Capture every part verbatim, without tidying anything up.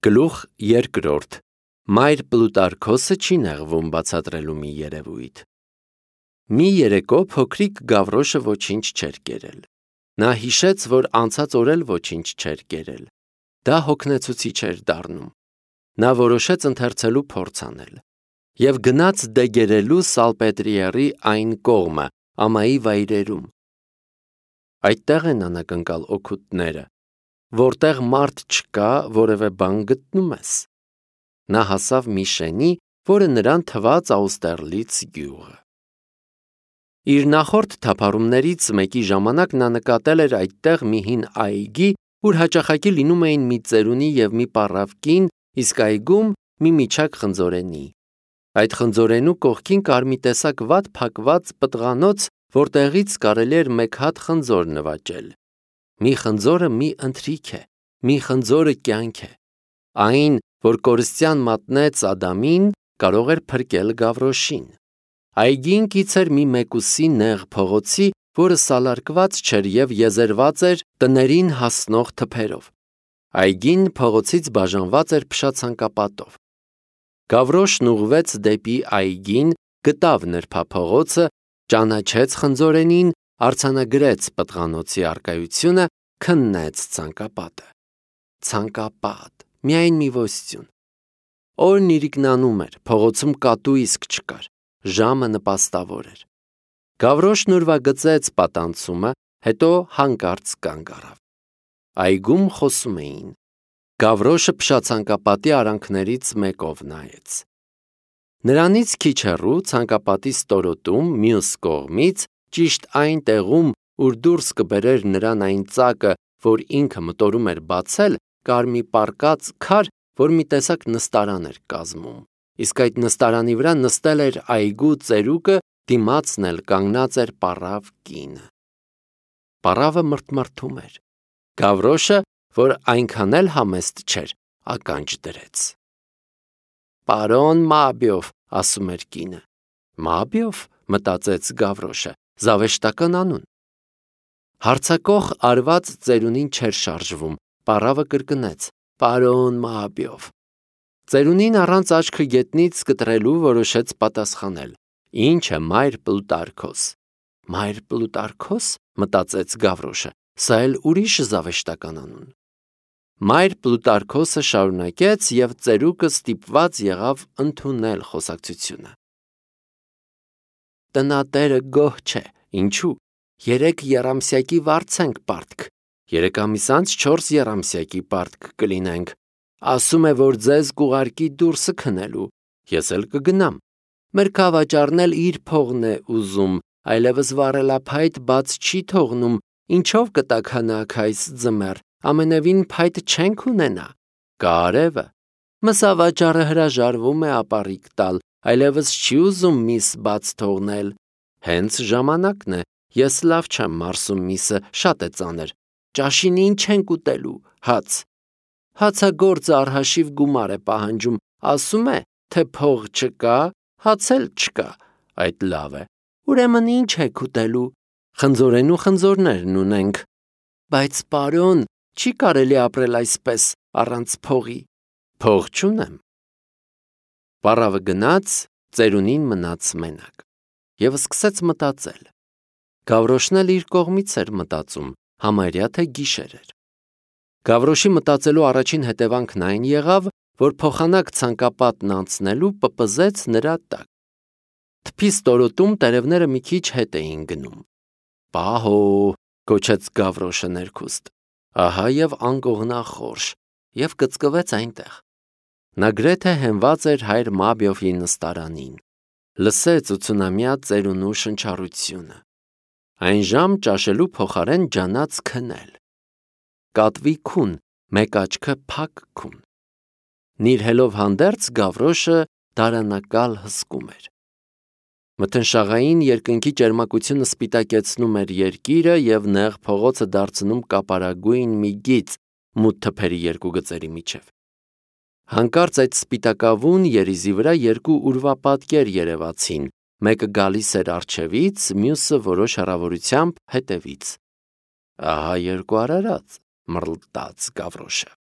Գլուխ երկրորդ. Մայր Պլուտարքոսը չի նեղվում բացատրելու մի երևույթ։ Մի երեկո փոքրիկ Գավրոշը ոչինչ չէր կերել։ Նա հիշեց, որ անցած օր էլ ոչինչ չէր կերել։ Դա հոգնեցուցիչ էր դառնում։ Նա որոշեց ընթերցելու փորձ անել և գնաց դեգերելու Սալպետրիերի այն կողմը, ամայի վայրերում։ Այդտեղ են անակնկալ օգուտները, որտեղ մարդ չկա, որևէ բան գտնում ես։ Նա հասավ մի շենի, որը նրան թվաց Աուստերլից գյուղը։ Իր նախորդ թափառումներից մեկի ժամանակ նա նկատել էր այդտեղ մի հին այգի, ուր հաճախակի լինում էին մի ծերունի և մի պառավ կին, իսկ այգում մի միջակ խնձորենի։ Այդ խնձորենու կողքին կար մի տեսակ վատ փակված պտղանոց, որտեղից կարելի էր մեկ հատ խնձոր նվաճել։ Մի խնձորը մի ընթրիք է, մի խնձորը կյանք է։ Այն, որ կորստյան մատնեց Ադամին, կարող էր փրկել Գավրոշին։ Այգին կից էր մի մեկուսի նեղ փողոցի, որը սալարկված չէր և եզերված էր տներին հասնող թփերով։ Այգին փողոցից բաժանված էր փշացանկապատով։ Գավրոշն ուղղվեց դեպի այգին, գտավ նրբափողոցը, ճանաչեց խնձորենին, արձանագրեց պտղանոցի առկայությունը, քննեց ցանկապատը։ Ցանկապատ, միայն մի ոստյուն։ Օրն իրիկնանում էր, փողոցում կատու իսկ չկար, ժամը նպաստավոր էր։ Գավրոշն ուրվագծեց պատանցումը, հետո հանկարծ կանգ առավ։ Այգում խոսում էին։ Գավրոշը փշացանկապատի արանքներից մեկով նայեց։ Նրանից քիչ հեռու ցանկապատի ստորոտում, մյուս կողմից, ճիշտ այն տեղում, ուր դուրս կբերեր նրան այն ծակը, որ ինքը մտորում էր բացել, կար մի պառկած քար, որ մի տեսակ նստարան էր կազմում, իսկ այդ նստարանի վրա նստել էր այգու ծերուկը, դիմացն էլ կանգնած էր պառավ կինը։ Պառավը մռթմռթում էր։ Գավրոշը, որ այնքան էլ համեստ չէր, ականջ դրեց։ «Պարոն Մաբիով», ասում էր կինը։ «Մաբիով», մտածեց Գավրոշը, զավեշտական անուն։ Հարձակող արված ծերունին չէր շարժվում, պառավը կրկնեց. «Պարոն Մաբիով»։ Ծերունին առանց աչքը գետնից կտրելու որոշեց պատասխանել. «Ինչ է, մայր Պլուտարքոս»։ «Մայր Պլուտարքոս», մտածեց Գավրոշը, սա էլ ուրիշ զավեշտական անուն։ Մայր Պլուտարքոսը շարունակեց, և ծերուկը ստիպված եղավ ընդունել խոսակցությունը։ Տնատերը գոհ չէ, ինչու՞։ Երեք եռամսյակի վարձ ենք պարտք, երեք ամիս անց չորս եռամսյակի պարտք կլինենք։ Ասում է, որ ձեզ կուղարկի դուրսը քնելու, ես էլ կգնամ։ Մեր քավաճառն էլ իր փողն է ուզում, այլևս վառելափայտ բաց չի թողնում, ինչով կտաք հանաք այս ձմեռ, ամենևին փայտ չենք ունենա։ Կարևը։ Մսավաճառը հրաժարվում է ապառիկ տալ, այլևս չի ուզում միս բաց թողնել։ Հենց ժամանակն է, ես լավ չեմ մարսում միսը, շատ է ծանր։ Ճաշին ինչ ենք ուտելու, հաց։ Հացագործը առհաշիվ գումար է պահանջում, ասում է, թե փող չկա, հաց էլ չկա, այդ լավ է։ Ուրեմն ինչ եք ուտելու։ Խնձորենու խնձորներն ունենք։ Բայց պարոն, չի կարելի ապրել այսպես, առանց փողի։ Փող չունեմ։ Պառավը գնաց, ծերունին մնաց մենակ և սկսեց մտածել։ Գավրոշն էլ իր կողմից էր մտածում, համարյա թե գիշեր էր։ Գավրոշի մտածելու առաջին հետևանքն այն եղավ, որ փոխանակ ցանկապատն անցնելու պպզեց նրա տակ։ Թփի ստորոտում տերևները մի քիչ հետ էին գնում։ Պահո, գոչեց Գավրոշը ներքուստ։ Ահա և անկողնախորշ, և կծկվեց այնտեղ։ Նա գրեթե հենված էր հայր Մաբիովի նստարանին։ Լսեց ութսունամյա ծերունու շնչառությունը։ Այնժամ ճաշելու փոխարեն ջանաց քնել։ Կատվի քուն, մեկ աչքը փակ քուն։ Նիրհելով հանդերձ Գավրոշը դարանակալ հսկում էր։ Մթնշաղային երկնքի ճերմակությունը սպիտակեցնում էր երկիրը և նեղ փողոցը դարձնում կապարագույն մի գիծ մութ թփերի երկու գծերի միջև։ Հանկարծ այդ սպիտակավուն երիզի վրա երկու ուրվապատկեր երևացին, մեկը գալիս էր առջևից, մյուսը որոշ հեռավորությամբ հետևից։ Ահա երկու արարած, մռլտաց Գավրոշը։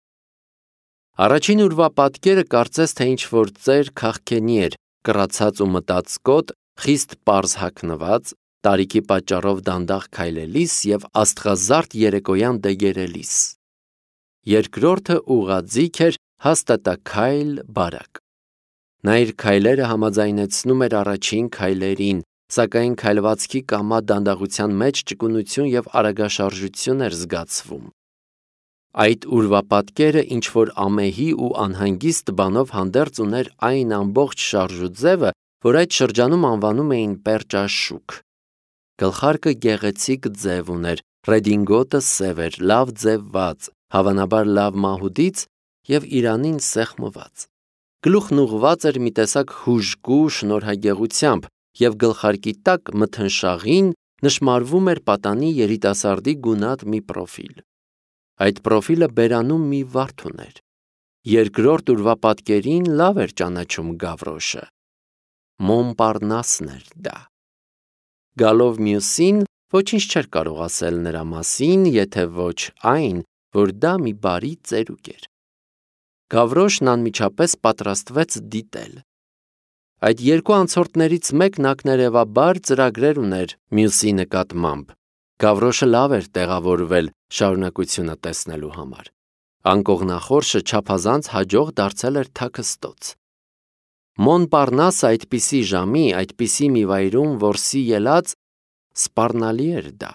Առաջին ուրվապատկերը կարծես թե ինչ-որ ծեր քաղքենի էր, կռացած ու մտածկոտ, խիստ պարզ հագնված, տարիքի պատճառով դանդաղ քայլելիս և աստղազարդ երեկոյան դեգերելիս։ Երկրորդը ուղղաձիգ էր, հաստատաքայլ, բարակ։ Նա իր քայլերը համաձայնեցնում էր առաջին քայլերին, սակայն քայլվածքի կամա դանդաղության մեջ ճկունություն և արագաշարժություն էր զգացվում։ Այդ ուրվապատկերը ինչ-որ ամեհի ու անհանգիստ բանով հանդերձ ուներ այն ամբողջ շարժուձևը, որ այդ շրջանում անվանում էին պերճաշուք։ Գլխարկը գեղեցիկ ձև ուներ, ռեդինգոտը սև էր, լավ ձևված, հավանաբար լավ մահուդից և իրանին սեղմված։ Գլուխն ուղղված էր մի տեսակ հուժկու շնորհագեղությամբ, և գլխարկի տակ մթնշաղին նշմարվում էր պատանի երիտասարդի գունատ մի պրոֆիլ։ Այդ պրոֆիլը բերանում մի վարդ ուներ։ Երկրորդ ուրվապատկերին լավ էր ճանաչում Գավրոշը։ Մոնպարնասն էր դա։ Գալով մյուսին, ոչինչ չէր կարող ասել նրա մասին, եթե ոչ այն, որ դա մի բարի ծերուկ էր։ Գավրոշն անմիջապես պատրաստվեց դիտել։ Այդ երկու անցորդներից մեկն ակներևաբար ծրագրեր ուներ մյուսի նկատմամբ։ Գավրոշը լավ էր տեղավորվել շարունակությունը տեսնելու համար։ Անկողնախորշը չափազանց հաջող դարձել էր թաքստոց։ Մոնպարնասը այդպիսի ժամի, այդպիսի մի վայրում որսի ելած, սպառնալի էր դա։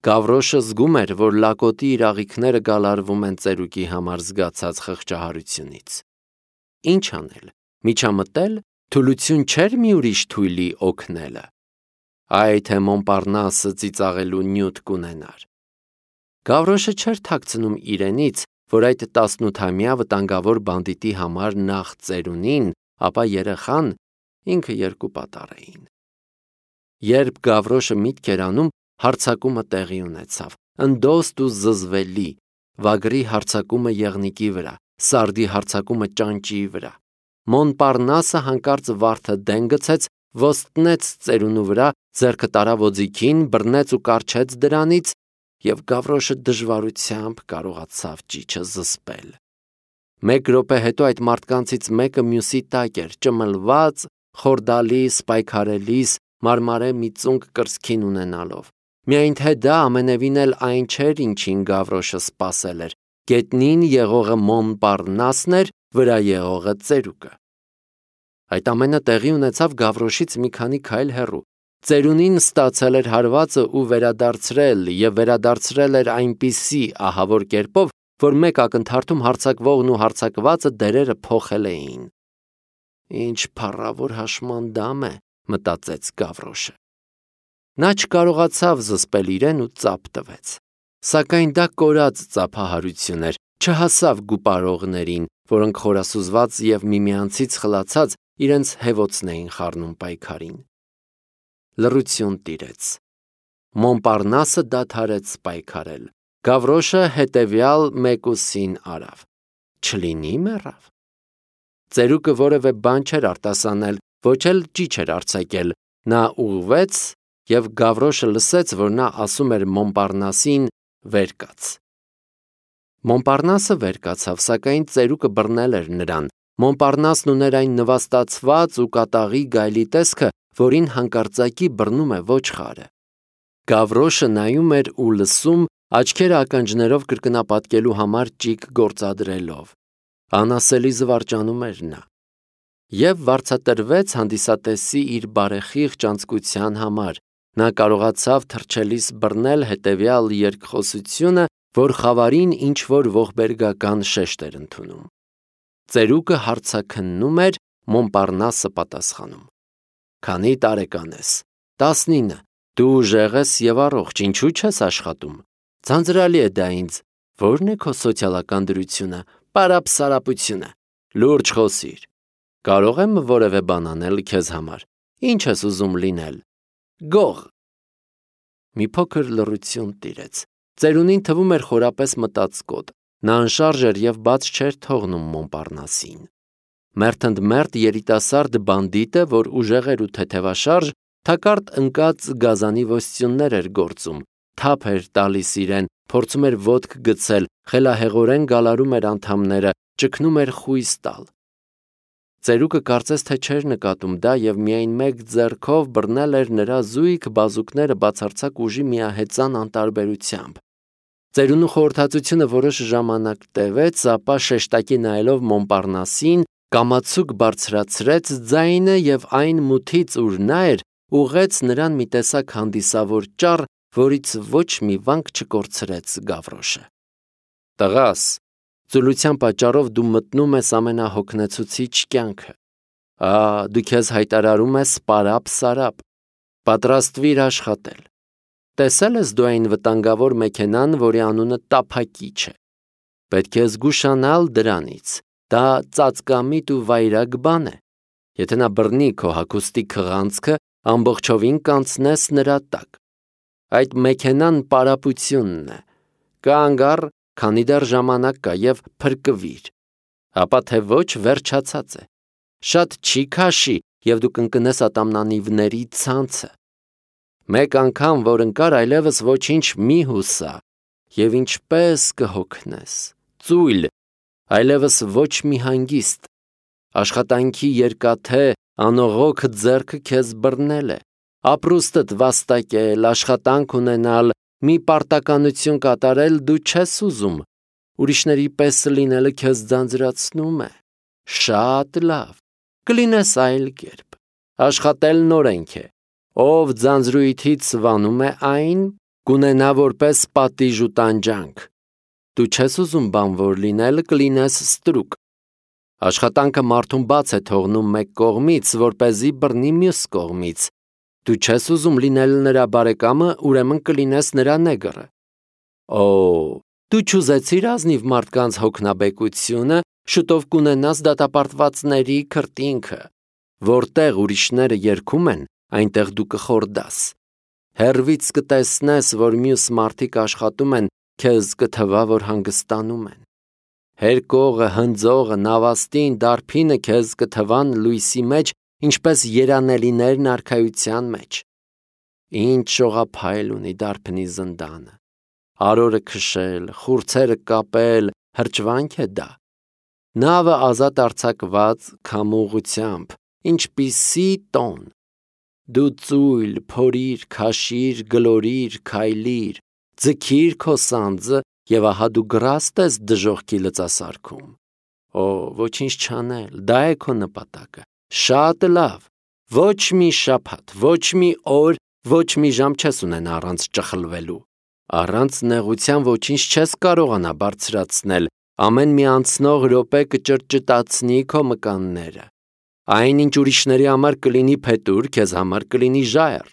Գավրոշը զգում էր, որ լակոտի իր աղիքները գալարվում են ծերուկի համար զգացած խղճահարությունից։ Ինչ անել, միջամտել, թուլություն չէր մի ուրիշ թույլի օգնելը։ Այ թե Մոնպարնասը ծիծաղելու նյութ կունենար։ Գավրոշը չէր թաքցնում իրենից, որ այդ տասնութամյա վտանգավոր բանդիտի համար նախ ծերունին, ապա երեխան, ինքը երկու պատառ էին։ Երբ Գավրոշը միտք էր անում, հարձակումը տեղի ունեցավ, ընդոստ ու զզվելի, վագրի հարձակումը եղնիկի վրա, սարդի հարձակումը ճանճիի վրա։ Մոնպարնասը հանկարծ վարդը դեն գցեց, ոստնեց ծերունու վրա, ձեռքը տարավ օձիքին, բռնեց ու կառչեց դրանից, և Գավրոշը դժվարությամբ կարողացավ ճիչը զսպել։ Մեկ րոպե հետո այդ մարդկանցից մեկը մյուսի տակ էր, ճմլված, խորդալիս, պայքարելիս, մարմարե մի ծունկ կրծքին ունենալով։ Միայն թե դա ամենևին էլ այն չէր, ինչին Գավրոշը սպասել էր։ Գետնին եղողը Մոնպարնասն էր, վրա եղողը ծերուկը։ Այդ ամենը տեղի ունեցավ Գավրոշից մի քանի քայլ հեռու։ Ծերունին ստացել էր հարվածը ու վերադարձրել, և վերադարձրել էր այնպիսի ահավոր կերպով, որ մեկ ակնթարթում հարձակվողն ու հարձակվածը դերերը փոխել էին։ Ինչ փառավոր հաշմանդամ է, մտածեց Գավրոշը։ Նա չկարողացավ զսպել իրեն ու ծափ տվեց։ Սակայն դա կորած ծափահարություն էր, չհասավ գուպարողներին, որոնք խորասուզված և միմյանցից խլացած իրենց հևոցն էին խառնում պայքարին։ Լռություն տիրեց։ Մոնպարնասը դադարեց պայքարել։ Գավրոշը հետևյալ մեկուսին արավ։ Չլինի մեռավ։ Ծերուկը որևէ բան չէր արտասանել, ոչ էլ ճիչ էր արձակել։ Նա ուղղվեց, և Գավրոշը լսեց, որ նա ասում էր Մոնպարնասին վեր կաց։ Մոնպարնասը վեր կացավ, սակայն ծերուկը բռնել էր նրան։ Մոնպարնասն ուներ այն նվաստացված ու կատաղի գայլի տեսքը, որին հանկարծակի բռնում է ոչխարը։ Գավրոշը նայում էր ու լսում, աչքերը ականջներով կրկնապատկելու համար ճիգ գործադրելով։ Անասելի զվարճանում էր նա։ Եվ վարձատրվեց հանդիսատեսի իր բարեխիղճ անձկության համար։ Նա կարողացավ թռչելիս բռնել հետևյալ երկխոսությունը, որ խավարին ինչ-որ ողբերգական շեշտ էր ընդունում։ Ծերուկը հարցաքննում էր, Մոնպարնասը պատասխանում։ Քանի տարեկան ես։ Տասնինը։ Դու ուժեղ ես և առողջ, ինչու չես աշխատում։ Ձանձրալի է դա ինձ։ Ո՞րն է քո սոցիալական դրությունը, պարապսարապությունը։ Լուրջ խոսիր։ Կարող եմ որևէ բան անել քեզ համար։ Ինչ ես ուզում լինել։ Գող։ Մի փոքր լռություն տիրեց։ Ծերունին թվում էր խորապես մտածկոտ։ Նա անշարժ էր և բաց չէր թողնում Մոնպարնասին։ Մերթընդմերթ երիտասարդ բանդիտը, որ ուժեղ էր ու թեթևաշարժ, թակարդ ընկած գազանի ոստյուններ էր գործում, թափ էր տալիս իրեն, փորձում էր ոտք գցել, խելահեղորեն գալարում էր անդամները, ճգնում էր խույս տալ։ Ծերուկը կարծես թե չէր նկատում դա և միայն մեկ ձեռքով բռնել էր նրա զույգ բազուկները բացարձակ ուժի միահեծան անտարբերությամբ։ Ծերունու խորհրդածությունը որոշ ժամանակ տևեց, ապա շեշտակի նայելով Մոնպարնասին, կամացուկ բարձրացրեց ձայնը և այն մութից, ուր նա էր, ուղղեց նրան մի տեսակ հանդիսավոր ճառ, որից ոչ մի վանք չկորցրեց Գավրոշը։ Տղաս, ծուլության պատճառով դու մտնում ես ամենահոգնեցուցիչ կյանքը։ Ա, դու քեզ հայտարարում ես պարապ-սարապ, պատրաստվիր աշխատել։ Տեսել ես դու այն վտանգավոր մեքենան, որի անունը տափակիչ է։ Պետք է զգուշանալ դրանից, դա ծածկամիտ ու վայրագ բան է։ Եթե նա բռնի քո հագուստի քղանցքը, ամբողջովին կանցնես նրա տակ։ Այդ մեքենան պարապությունն է։ Կանգ առ, քանի դեռ ժամանակ կա և փրկվիր։ Ապա թե ոչ վերջացած է։ Շատ չի քաշի և դու կընկնես ատամնանիվների ցանցը։ Մեկ անգամ, որ ընկար, այլևս ոչինչ մի հուսա, և ինչպես կհոգնես, ծույլ, այլևս ոչ մի հանգիստ, աշխատանքի երկաթե, անողոք ձեռքը քեզ բռնել է, ապրուստդ վաստակել, աշխատանք ունենալ, մի պարտականություն կատարել դու չես ուզում, ուրիշների պես լինելը քեզ ձանձրացնում է, շատ լավ, կլինես այլ կերպ, աշխատելն օրենք է, ով ձանձրույթից սվանում է այն, կունենա որպես պատիժ ու տանջանք, դու չես ուզում բանվոր լինել, կլինես ստրուկ, աշխատանքը մարդուն բաց է թողնում մեկ կողմից, որպեսզի բռնի մյուս կողմից, դու չես ուզում լինել նրա բարեկամը, ուրեմն կլինես նրա նեգրը, օ, դու չուզեցիր ազնիվ մարդկանց հոգնաբեկությունը, շուտով կունենաս դատապարտվածների քրտինքը, որտեղ ուրիշները երգում են, այնտեղ դու կխորդաս, հեռվից կտեսնես, որ մյուս մարդիկ աշխատում են, քեզ կթվա, որ հանգստանում են, հերկողը, հնձողը, նավաստին, դարբինը քեզ կթվան լույսի մեջ, ինչպես երանելիներն արքայության մեջ, ինչ շողափայլ ունի դարբնի զնդանը, արորը քշել, խուրձերը կապել, հրճվանք է դա, նավը ազատ արձակված քամուղությամբ, ինչպիսի տոն, դու ծույլ, փորիր, քաշիր, գլորիր, քայլիր, ձգիր քո սանձը և ահա դու գրաստ ես դժոխքի լծասարքում, օ, ոչինչ չանել, դա է քո նպատակը, շատ լավ, ոչ մի շաբաթ, ոչ մի օր, ոչ մի ժամ չես ունենա առանց ճխլվելու, առանց նեղության ոչինչ չես կարողանա բարձրացնել, ամեն մի անցնող րոպե կճրճտացնի քո մկանները, այն ինչ ուրիշների համար կլինի փետուր, քեզ համար կլինի ժայռ,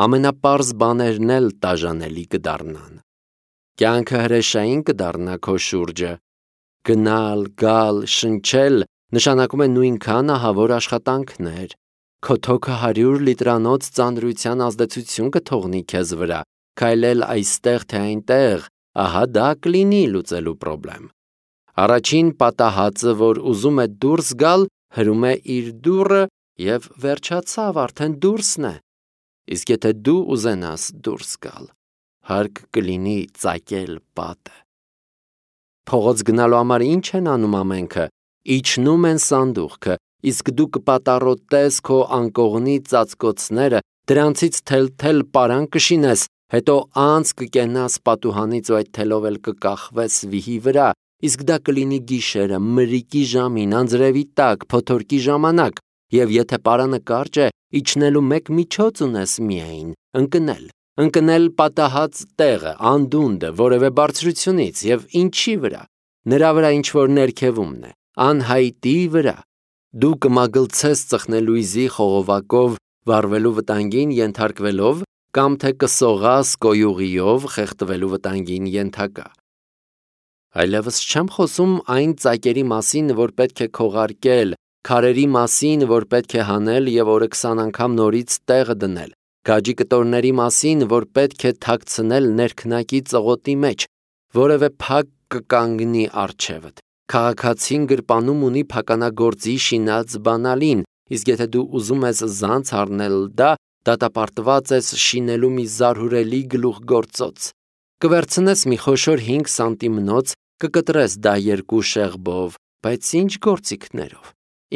ամենապարզ բաներն էլ տաժանելի կդառնան, կյանքը հրեշային կդառնա քո շուրջը, գնալ, գալ, շնչել, նշանակում է նույնքան ահավոր աշխատանքներ, քո թոքը հարյուր լիտրանոց ծանրության ազդեցություն կթողնի քեզ վրա, քայլել այստեղ թե այնտեղ, ահա դա կլինի լուծելու պրոբլեմ, առաջին պատահածը, որ ուզում է դուրս գալ, հրում է իր դուռը և վերջացավ, արդեն դուրսն է, իսկ եթե դու ուզենաս դուրս գալ, հարկ կլինի ծակել պատը։ Փողոց գնալու համար ինչ են անում ամենքը, իջնում են սանդուղքը, իսկ դու կպատառոտես քո անկողնի ծածկոցները, դրանցից թել-թել պարան կշինես, հետո անց կկենաս պատուհանից ու այդ թելով էլ կկախվես վիհի վրա, իսկ դա կլինի գիշերը, մրրիկի ժամին, անձրևի տակ, փոթորկի ժամանակ, և եթե պարանը կարճ է, իջնելու մեկ միջոց ունես միայն, ընկնել, ընկնել պատահած տեղը, անդունդը, որևէ բարձրությունից և ինչի վրա, նրա վրա ինչ-որ ներքևումն է, անհայտի վրա, դու կմագլցես ծխնելույզի խողովակով վառվելու վտանգին ենթարկվելով կամ թե կսողաս կոյուղիով խեղդվելու վտանգին ենթակա։ Այլևս չեմ խոսում այն ծակերի մասին, որ պետք է քողարկել, քարերի մասին, որ պետք է հանել և օրը քսան անգամ նորից տեղը դնել, գաջի կտորների մասին, որ պետք է թաքցնել ներքնակի ծղոտի մեջ, որևէ փակ կկանգնի առջևդ, քաղաքացին գրպանում ունի փականագործի շինած բանալին, իսկ եթե դու ուզում ես զանց առնել դա, դատապարտված ես շինելու մի զարհուրելի գլուխգործոց, կվերցնես մի խոշոր հինգ սանտիմնոց, կկտրես դա երկու շեղբով, Բայց ինչ գործիքներով,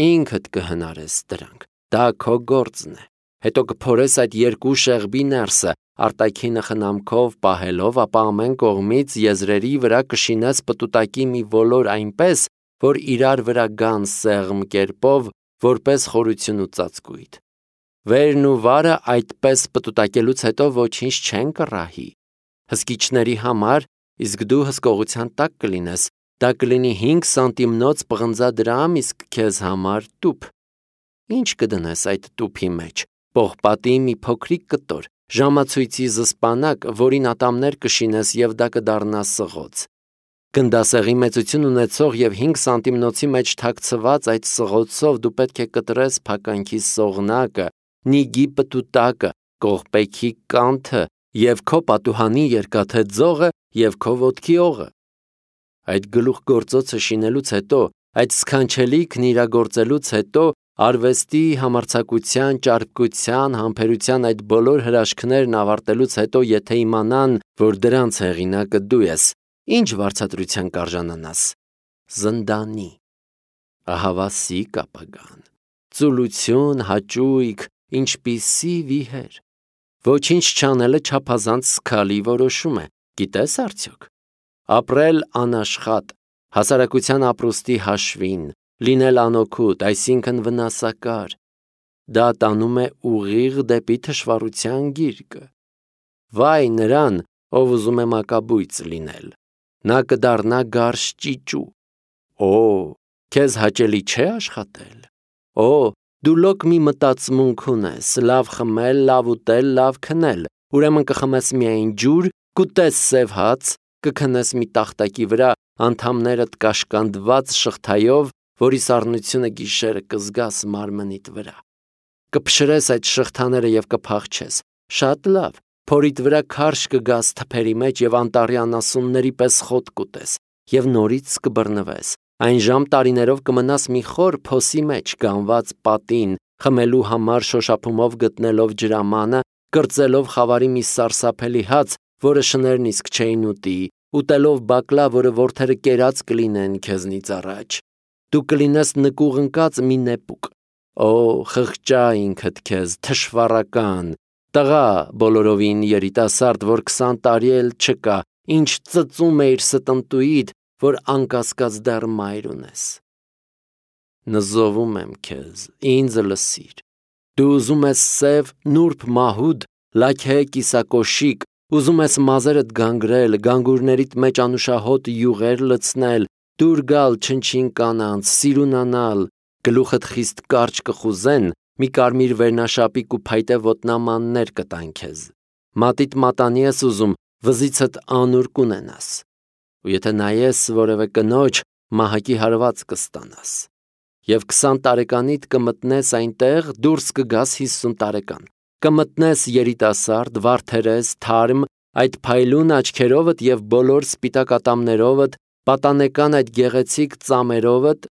ինքդ կհնարես դրանք, դա քո գործն է, հետո կփորես այդ երկու շեղբի ներսը, արտաքինը խնամքով պահելով, ապա ամեն կողմից եզրերի վրա կշինես պտուտակի մի ոլոր այնպես, որ իրար վրա գան սեղմ կերպով, որպես խորություն ու ծածկույթ։ Վերն ու վարը այդպես պտուտակելուց հետո ոչինչ չեն կռահի։ Հսկիչների համար, իսկ դու հսկողության տակ կլինես, դա կլինի հինգ սանտիմնոց պղնձադրամ, իսկ քեզ համար տուփ։ Ինչ կդնես այդ տուփի մեջ, պողպատի մի փոքրիկ կտոր, ժամացույցի զսպանակ, որին ատամներ կշինես և դա կդառնա սղոց։ Գնդասեղի մեծություն ունեցող և հինգ սանտիմնոցի մեջ թաքցված այդ սղոցով դու պետք է կտրես փականքի սողնակը, նիգի պտուտակը, կողպեքի կանթը և քո պատուհանի երկաթե ձողը և քո ոտքի օղը։ Այդ գլուխգործոցը շինելուց հետո, այդ սքանչելիքն իրագործելուց հետո, արվեստի, համարձակության, ճարպկության, համբերության այդ բոլոր հրաշքներն ավարտելուց հետո, եթե իմանան, որ դրանց հեղինակը դու ես, ինչ վարձատրության կարժանանաս։ Զնդանի։ Ահավասիկ ապագան, ծուլություն, հաճույք, ինչպիսի վիհեր։ Ոչինչ չանելը չափազանց սքալի որոշում է, գիտես արդյոք։ Ապրել անաշխատ, հասարակության ապրուստի հաշվին, լինել անօգուտ, այսինքն վնասակար, դա տանում է ուղիղ դեպի թշվառության գիրկը։ Վայ նրան, ով ուզում է մակաբույծ լինել, նա կդառնա գարշ ճիճու։ Օ, քեզ հաճելի չէ աշխատել։ Օ, դու լոկ մի մտածմունք ունես, լավ խմել, լավ ուտել, լավ քնել, ուրեմն կխմես միայն ջուր, կուտես սև հաց, կքնես մի տախտակի վրա, անդամներդ կաշկանդված շղթայով, որի սառնությունը գիշերը կզգաս մարմնիդ վրա։ Կփշրես այդ շղթաները և կփախչես, շատ լավ, փորիդ վրա քարշ կգաս թփերի մեջ և անտառի անասունների պես խոտ կուտես, և նորից կբռնվես, այն ժամ տարիներով կմնաս մի խոր փոսի մեջ, գանված պատին, խմելու համար շոշափումով գտնելով ջրամանը, կրծելով խավարի մի սարսափելի հաց, որը շներն իսկ չէին ուտի, ուտելով բակլա, որը որդերը կերած կլինեն քեզնից առաջ։ Դու կլինես նկուղ ընկած մի նեպուկ։ Օ, խղճա ինքդ քեզ, թշվառական, տղա բոլորովին երիտասարդ, որ քսան տարի էլ չկա, ինչ ծծում էիր ստնտուիդ, որ անկասկած դեռ մայր ունես։ Նզովում եմ քեզ, ինձ լսիր։ Դու ուզում ես սև, նուրբ մահուդ, լաքե կիսակոշիկ, ուզում ես մազերդ գանգրել, գանգուրներիդ մեջ անուշահոտ յուղեր լցնել, դուր գալ չնչին կանանց, սիրունանալ, գլուխդ խիստ կարճ կխուզեն, մի կարմիր վերնաշապիկ ու փայտե ոտնամաններ կտան քեզ։ Մատիդ մատանի ես ուզում, վզիցդ անուր կունենաս։ Ու եթե նայես որևէ կնոջ, մահակի հարված կստանաս։ Եվ քսան տարեկանիդ կմտնես այնտեղ, դուրս կգաս հիսուն տարեկան, կմտնես երիտասարդ, վարդերես, թարմ, այդ փայլուն աչքերովդ և բոլոր սպիտակ ատամներովդ, պատանեկան այդ գեղեցիկ ծամերովդ,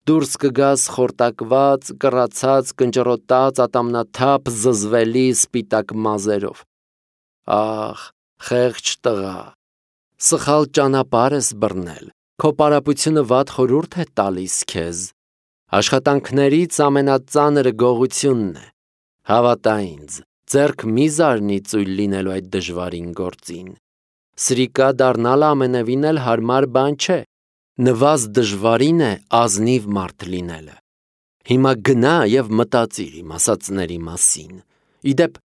դուրս կգաս խորտակված, կռացած, կնճռոտած, ատամնաթափ, զզվելի սպիտակ մազերով։ Ախ, խեղճ տղա, սխալ ճանապարհ ես բռնել, քո պարապությունը վատ խորհուրդ է տալիս քեզ։ Աշխատանքներից ամենածանրը գողությունն է։ Հավատա ինձ, ձեռք մի զարնի ծույլ լինելու այդ դժվարին գործին։ Սրիկա դառնալը ամենևին էլ հարմար բան չէ։ Նվազ դժվարին է ազնիվ մարդ լինելը։ Հիմա գնա և մտածիր իմ ասածների մասին։ Իդեպ,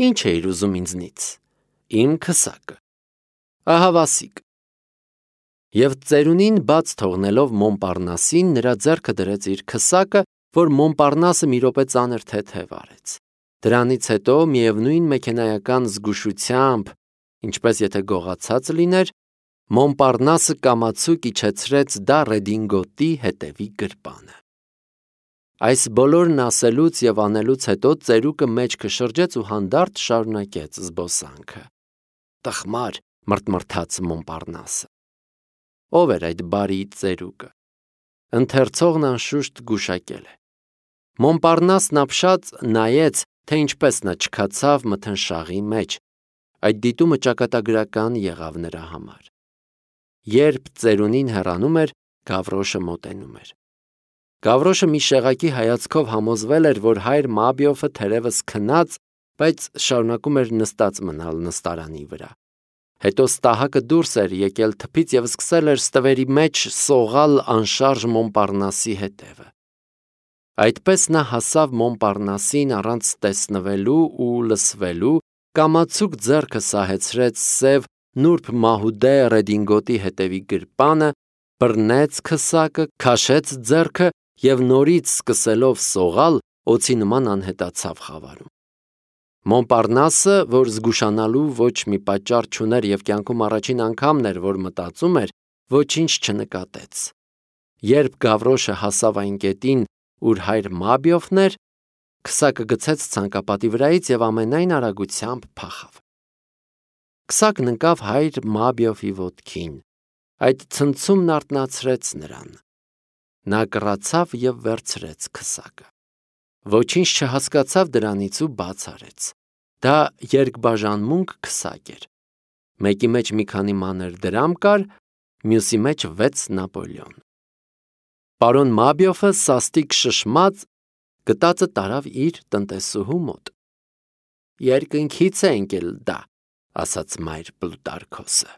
ինչ էիր ուզում ինձնից։ Իմ քսակը։ Ահավասիկ։ Եվ ծերունին բաց թողնելով Մոնպարնասին, նրա ձեռքը դրեց իր քսակը, որ Մոնպարնասը մի րոպե ծանր թեթև արեց։ Դրանից հետո միևնույն մեքենայական զգուշությամբ, ինչպես եթե գողացած լիներ, Մոնպարնասը կամացուկ իջեցրեց դա ռեդինգոտի հետևի գրպանը։ Այս բոլորն ասելուց և անելուց հետո ծերուկը մեջքը շրջեց ու հանդարտ շարունակեց զբոսանքը։ Տխմար, մրթմրթաց Մոնպարնասը։ Ով էր այդ բարի ծերուկը։ Ընթերցողն անշուշտ գուշակել է։ Մոնպարնասն ապշած նայեց, թե ինչպես նա չքացավ մթնշաղի մեջ։ Այդ դիտումը ճակատագրական եղավ նրա համար։ Երբ ծերունին հեռանում էր, Գավրոշը մոտենում էր։ Գավրոշը մի շեղակի հայացքով համոզվել էր, որ հայր Մաբիոֆը թերևս քնած, բայց շարունակում էր նստած մնալ նստարանի վրա։ Հետո ստահակը դուրս էր եկել թփից և սկսել էր ստվերի մեջ սողալ անշարժ Մոնպարնասի հետևը։ Այդպես նա հասավ Մոնպարնասին առանց տեսնվելու ու լսվելու, կամացուկ ձեռքը սահեցրեց սև նուրբ մահուդե ռեդինգոտի հետևի գրպանը, բռնեց քսակը, քաշեց ձեռքը և նորից սկսելով սողալ, օձի նման անհետացավ խավարում։ Մոնպարնասը, որ զգուշանալու ոչ մի պատճառ չուներ և կյանքում առաջին անգամն էր, որ մտածում էր, ոչինչ չնկատեց։ Երբ Գավրոշը հասավ այն կետին, ուր հայր Մաբիոֆն էր, քսակը գցեց ցանկապատի վրայից և ամենայն արագությամբ փախավ։ Քսակն ընկավ հայր Մաբիոֆի ոտքին, այդ ցնցումն արթնացրեց նրան։ Նա կռացավ և վերցրեց քսակը։ Ոչինչ չհասկացավ դրանից ու բաց արեց։ Դա երկբաժանմունք քսակ էր։ Մեկի մեջ մի քանի մանր դրամ կար, մյուսի մեջ վեց նապոլեոն։ Պարոն Մաբիոֆը սաստիկ շշմած գտածը տարավ իր տնտեսուհու մոտ։ Երկնքից է ընկել դա, ասաց մայր Պլուտարքոսը։